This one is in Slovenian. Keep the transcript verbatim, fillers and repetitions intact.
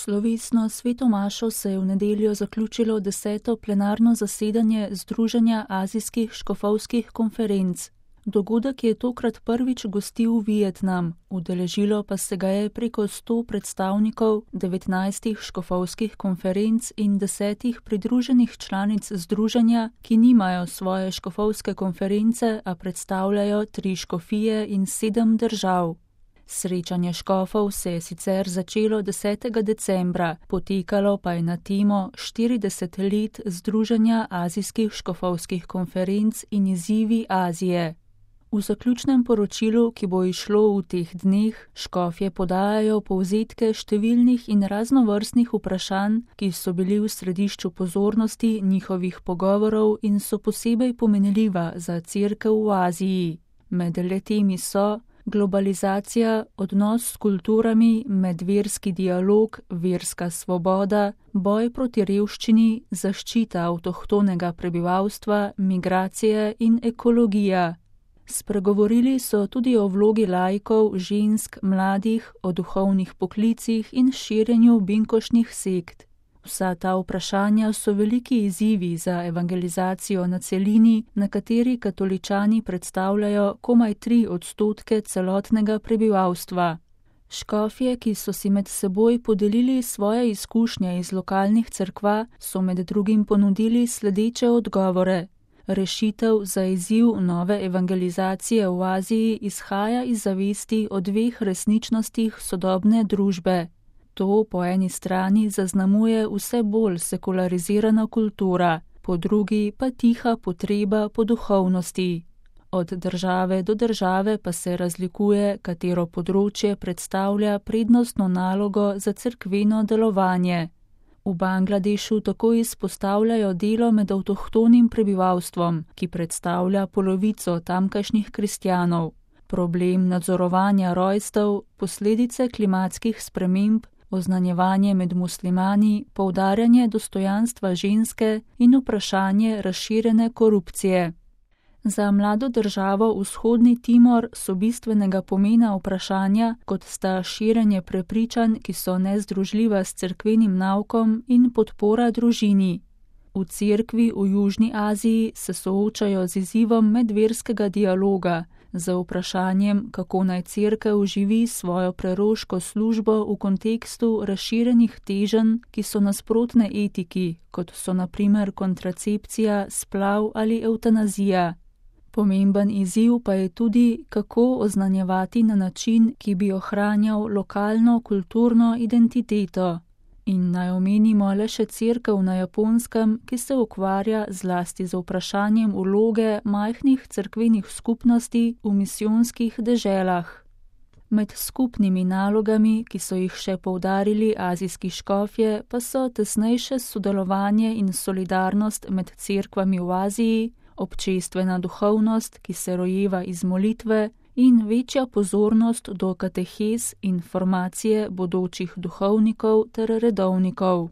Slovesno sveto mašo se je v nedeljo zaključilo deseto plenarno zasedanje Združenja azijskih škofovskih konferenc. Dogodek je tokrat prvič gostil Vietnam, udeležilo pa se ga je preko sto predstavnikov devetnajstih škofovskih konferenc in desetih pridruženih članic združenja, ki nimajo svoje škofovske konference, a predstavljajo tri škofije in sedem držav. Srečanje škofov se je sicer začelo desetega decembra, potekalo pa je na temo štirideset let Združenja azijskih škofovskih konferenc in izzivi Azije. V zaključnem poročilu, ki bo izšlo v teh dneh, škofje podajajo povzetke številnih in raznovrstnih vprašanj, ki so bili v središču pozornosti njihovih pogovorov in so posebej pomenljiva za Cerkev v Aziji. Med letemi so globalizacija, odnos s kulturami, medverski dialog, verska svoboda, boj proti revščini, zaščita avtohtonega prebivalstva, migracije in ekologija. Spregovorili so tudi o vlogi laikov, žensk, mladih, o duhovnih poklicih in širjenju binkošnih sekt. Vsa ta vprašanja so veliki izzivi za evangelizacijo na celini, na kateri katoličani predstavljajo komaj tri odstotke celotnega prebivalstva. Škofje, ki so si med seboj podelili svoje izkušnje iz lokalnih cerkva, so med drugim ponudili sledeče odgovore. Rešitev za izziv nove evangelizacije v Aziji izhaja iz zavesti o dveh resničnostih sodobne družbe. To po eni strani zaznamuje vse bolj sekularizirana kultura, po drugi pa tiha potreba po duhovnosti. Od države do države pa se razlikuje, katero področje predstavlja prednostno nalogo za cerkveno delovanje. V Bangladešu tako izpostavljajo delo med avtohtonim prebivalstvom, ki predstavlja polovico tamkajšnjih kristjanov, problem nadzorovanja rojstev, posledice klimatskih sprememb, oznanjevanje med muslimani, poudarjanje dostojanstva ženske in vprašanje razširjene korupcije. Za mlado državo Vzhodni Timor so bistvenega pomena vprašanja, kot sta širjenje prepričanj, ki so nezdružljiva s cerkvenim naukom, in podpora družini. V cerkvi v Južni Aziji se soočajo z izzivom medverskega dialoga, z vprašanjem, kako naj cerkev živi svojo preroško službo v kontekstu razširjenih teženj, ki so nasprotne etiki, kot so na primer kontracepcija, splav ali evtanazija. Pomemben izziv pa je tudi, kako oznanjevati na način, ki bi ohranjal lokalno kulturno identiteto. In naj omenimo le še cerkev na Japonskem, ki se ukvarja zlasti z vprašanjem vloge majhnih cerkvenih skupnosti v misijonskih deželah. Med skupnimi nalogami, ki so jih še poudarili azijski škofje, pa so tesnejše sodelovanje in solidarnost med cerkvami v Aziji, občestvena duhovnost, ki se rojeva iz molitve, in večja pozornost do katehez in formacije bodočih duhovnikov ter redovnikov.